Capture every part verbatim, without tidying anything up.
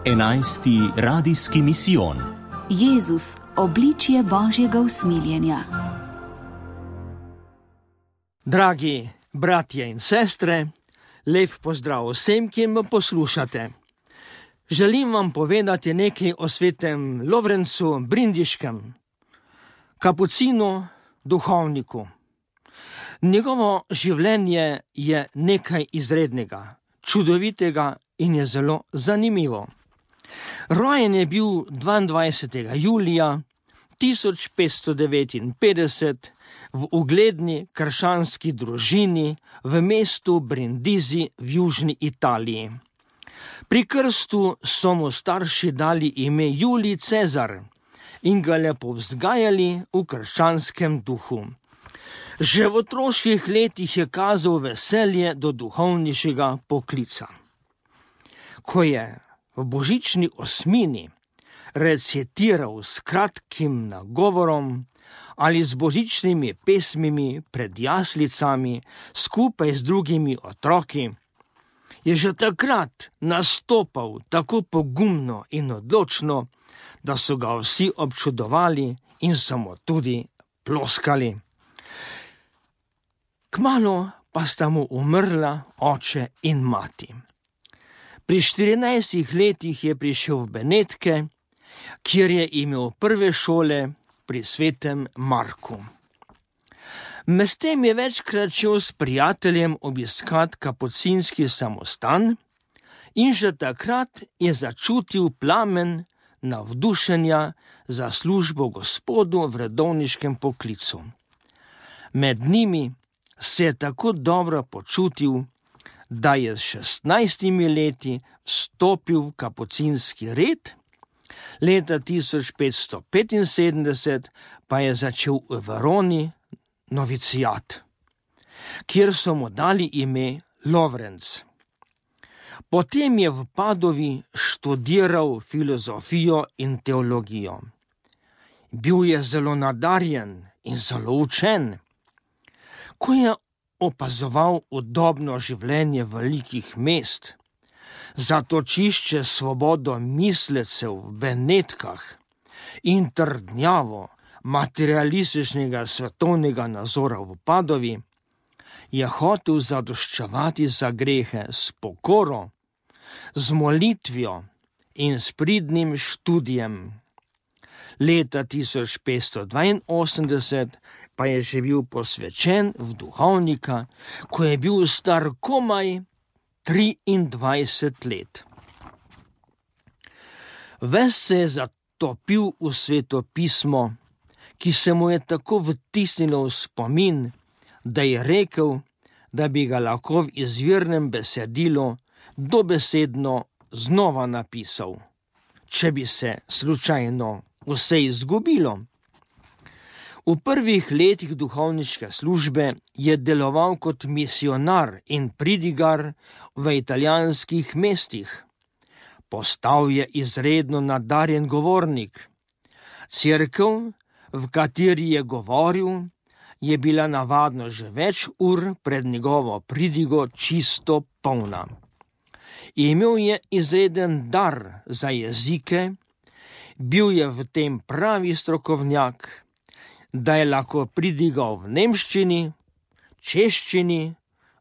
Enajsti radijski misijon. Jezus, obličje Božjega usmiljenja. Dragi bratje in sestre, lep pozdrav vsem, ki me poslušate. Želim vam povedati nekaj o svetem Lovrencu Brindiškem, kapucinu, duhovniku. Njegovo življenje je nekaj izrednega, čudovitega in je zelo zanimivo. Rojen je bil dvaindvajsetega julija tisoč petsto devetinpetdeset v ugledni krščanski družini v mestu Brindisi v južni Italiji. Pri krstu so mu starši dali ime Julij Cezar in ga lepo vzgajali v krščanskem duhu. Že v otroških letih je kazal veselje do duhovniškega poklica. Ko je v božični osmini recitiral s kratkim nagovorom ali z božičnimi pesmimi pred jaslicami skupaj z drugimi otroki, je že takrat nastopal tako pogumno in odločno, da so ga vsi občudovali in so mu tudi ploskali. Kmalu pa sta mu umrla oče in mati. Pri štirinajstih letih je prišel v Benetke, kjer je imel prve šole pri svetem Marku. Medtem je večkrat šel s prijateljem obiskat kapucinski samostan in že takrat je začutil plamen navdušenja za službo Gospodu v redovniškem poklicu. Med njimi se je tako dobro počutil, da je s šestnajstimi leti vstopil v kapucinski red, leta tisoč petsto petinsedemdeset pa je začel v Veroni novicijat, kjer so mu dali ime Lovrenc. Potem je v Padovi študiral filozofijo in teologijo. Bil je zelo nadarjen in zelo učen. Ko je opazoval udobno življenje velikih mest, zatočišče svobodo mislecev v Benetkah in trdnjavo materialističnega svetovnega nazora v Padovi, je hotel zadoščevati za grehe s pokoro, z molitvijo in s pridnim študijem. Leta tisoč petsto dvainosemdeset pa je že bil posvečen v duhovnika, ko je bil star komaj triindvajset let. Ves se je zatopil v Sveto pismo, ki se mu je tako vtisnilo v spomin, da je rekel, da bi ga lahko v izvirnem besedilu dobesedno znova napisal, če bi se slučajno vse izgubilo. V prvih letih duhovniške službe je deloval kot misionar in pridigar v italijanskih mestih. Postal je izredno nadarjen govornik. Cerkev, v kateri je govoril, je bila navadno že več ur pred njegovo pridigo čisto polna. Imel je izreden dar za jezike, bil je v tem pravi strokovnjak, da je lahko pridigal v nemščini, češčini,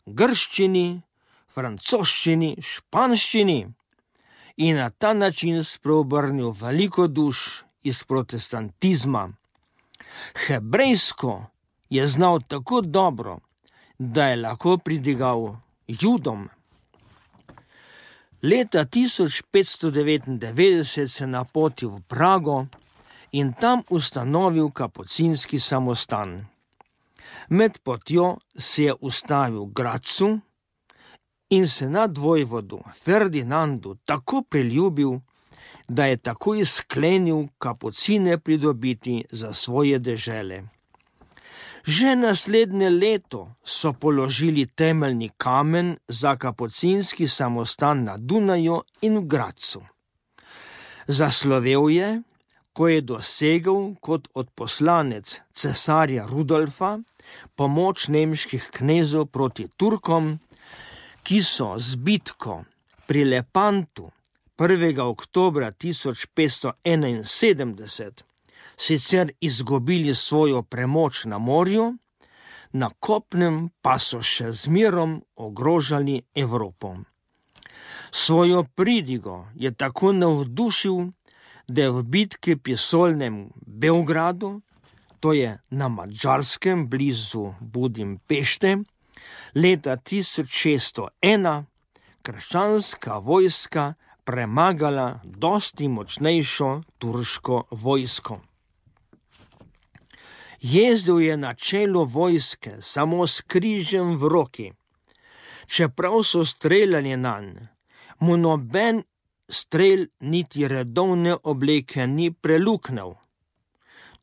grščini, francoščini, španščini in na ta način spreobrnil veliko duš iz protestantizma. Hebrejsko je znal tako dobro, da je lahko pridigal Judom. Leta tisoč petsto devetindevetdeset se napotil v Prago in tam ustanovil kapucinski samostan. Med potjo se je ustavil v Grazu in se nadvojvodu Ferdinandu tako priljubil, da je takoj sklenil kapucine pridobiti za svoje dežele. Že naslednje leto so položili temeljni kamen za kapucinski samostan na Dunaju in v Grazu. Zaslovel je, ko je dosegel kot odposlanec cesarja Rudolfa pomoč nemških knezov proti Turkom, ki so z bitko pri Lepantu prvega oktobra tisoč petsto enainsedemdeset sicer izgubili svojo premoč na morju, na kopnem pa so še zmerom ogrožali Evropo. Svojo pridigo je tako navdušil, da je v bitki pri Solnem Beogradu, to je na Madžarskem blizu Budimpešte, leta tisoč šeststo ena krščanska vojska premagala dosti močnejšo turško vojsko. Jezdil je na čelu vojske samo s križem v roki. Čeprav so streljali nanj, mu noben strel niti redovne obleke ni preluknil.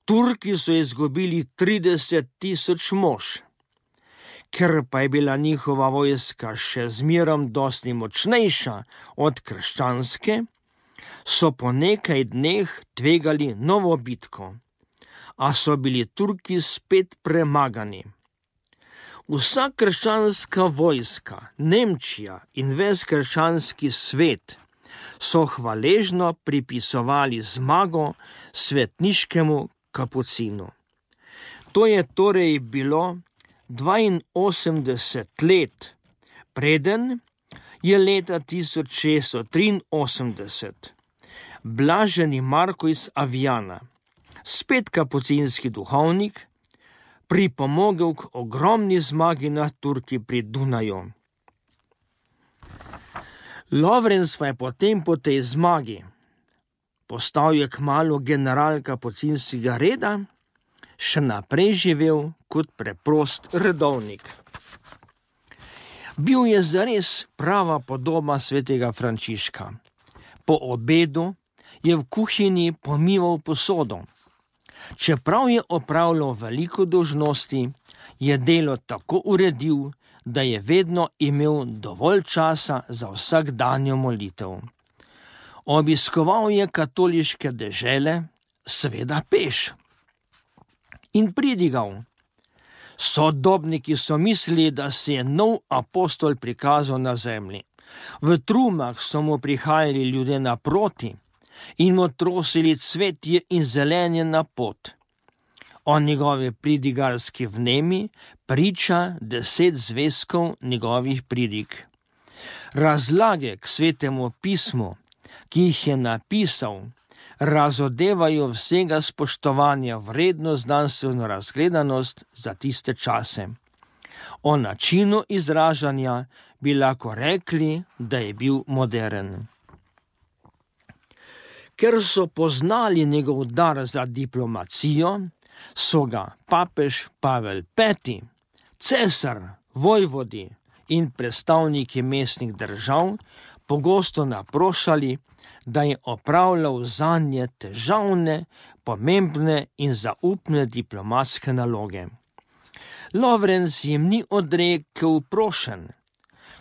Turki so izgubili trideset tisoč mož. Ker pa je bila njihova vojska še zmerom dosti močnejša od krščanske, so po nekaj dneh tvegali novo bitko, a so bili Turki spet premagani. Vsa krščanska vojska, Nemčija in ves krščanski svet so hvaležno pripisovali zmago svetniškemu kapucinu. To je torej bilo dvainosemdeset let, preden je leta tisoč šeststo triinosemdeset blaženi Marko iz Aviana, spet kapucinski duhovnik, pripomogel k ogromni zmagi nad Turki pri Dunaju. Lovrenc pa je potem po tej zmagi postal je kmalu general kapucinskega reda, še naprej živel kot preprost redovnik. Bil je zares prava podoba svetega Frančiška. Po obedu je v kuhinji pomival posodo. Čeprav je opravljal veliko dolžnosti, je delo tako uredil, da je vedno imel dovolj časa za vsakdanjo molitev. Obiskoval je katoliške dežele, seveda peš, in pridigal. Sodobniki so mislili, da se je nov apostol prikazal na zemlji. V trumah so mu prihajali ljudje naproti in mu trosili cvetje in zelenje na pot. O njegovi pridigarski vnemi priča deset zvezkov njegovih pridig. Razlage k svetemu pismu, ki jih je napisal, razodevajo vsega spoštovanja vredno znanstveno razgledanost za tiste čase. O načinu izražanja bi lahko rekli, da je bil moderen. Ker so poznali njegov dar za diplomacijo, so ga papež Pavel peti, cesar, vojvodi in predstavniki mestnih držav pogosto naprošali, da je opravljal zanje težavne, pomembne in zaupne diplomatske naloge. Lovrenc jim ni odrekel prošenj.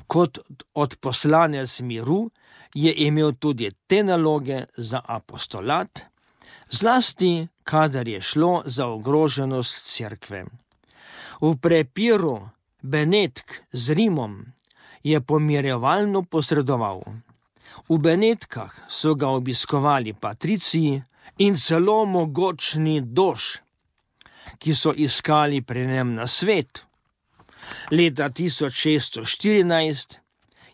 Kot odposlanec miru je imel tudi te naloge za apostolat, zlasti kadar je šlo za ogroženost cerkve. V prepiru Benetk z Rimom je pomirjevalno posredoval. V Benetkah so ga obiskovali patriciji in celo mogočni dož, ki so iskali pri njem nasvet. Leta tisoč šeststo štirinajst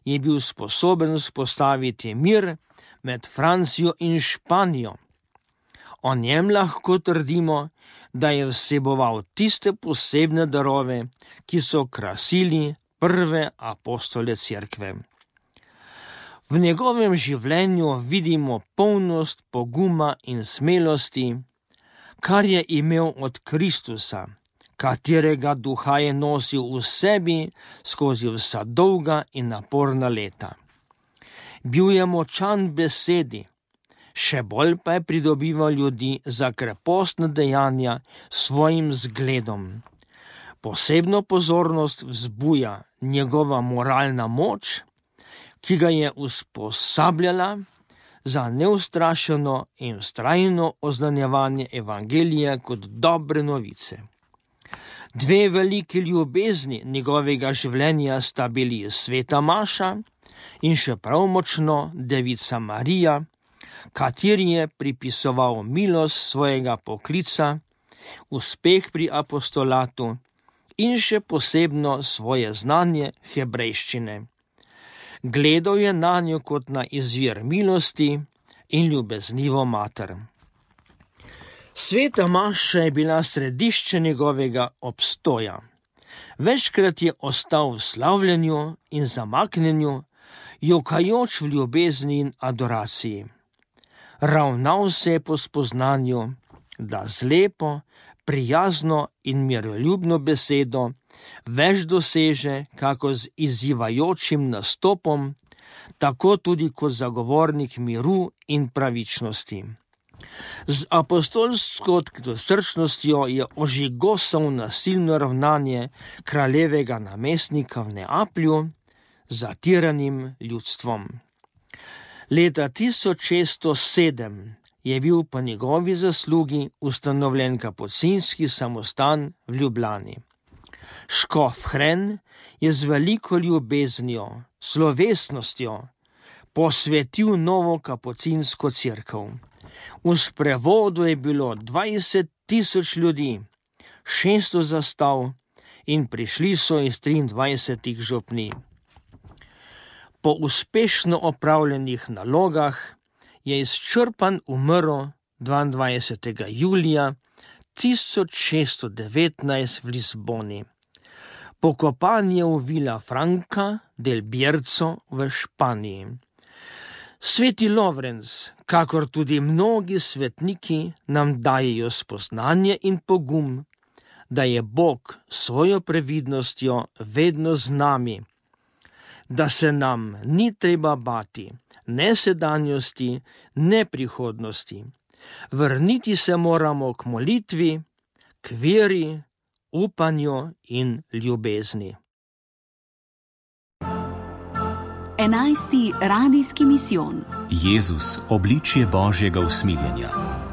je bil sposoben vzpostaviti mir med Francijo in Španijo. O njem lahko trdimo, da je vseboval tiste posebne darove, ki so krasili prve apostole cerkve. V njegovem življenju vidimo polnost poguma in smelosti, kar je imel od Kristusa, katerega duha je nosil v sebi skozi vsa dolga in naporna leta. Bil je močan besedi, še bolj pa je pridobival ljudi za krepostna dejanja svojim zgledom. Posebno pozornost vzbuja njegova moralna moč, ki ga je usposabljala za neustrašeno in vztrajno oznanjevanje evangelija kot dobre novice. Dve veliki ljubezni njegovega življenja sta bili sveta maša in še prav močno Devica Marija, kateri je pripisoval milost svojega poklica, uspeh pri apostolatu in še posebno svoje znanje hebrejščine. Gledal je na njo kot na izvir milosti in ljubeznivo mater. Sveta maša je bila središče njegovega obstoja. Večkrat je ostal v slavljenju in zamaknjenju, jokajoč v ljubezni in adoraciji. Ravnal se je po spoznanju, da z lepo, prijazno in miroljubno besedo več doseže, kako z izzivajočim nastopom, tako tudi kot zagovornik miru in pravičnosti. Z apostolsko srčnostjo je ožigosal nasilno ravnanje kraljevega namestnika v Neaplju z zatiranim ljudstvom. Leta tisoč šeststo sedem je bil po njegovi zaslugi ustanovljen kapucinski samostan v Ljubljani. Škof Hren je z veliko ljubeznijo, slovesnostjo posvetil novo kapucinsko cerkev. V sprevodu je bilo dvajset tisoč ljudi, šeststo zastav in prišli so iz triindvajsetih župnij. Po uspešno opravljenih nalogah je izčrpan umrl dvaindvajsetega julija tisoč šeststo devetnajst v Lizboni. Pokopan je v Vila Franca del Bierzo v Španiji. Sveti Lovrenc, kakor tudi mnogi svetniki, nam dajejo spoznanje in pogum, da je Bog svojo previdnostjo vedno z nami, da se nam ni treba bati ne sedanjosti, ne prihodnosti. Vrniti se moramo k molitvi, k veri, upanju in ljubezni. Enajsti radijski misijon. Jezus, obličje Božjega usmiljenja.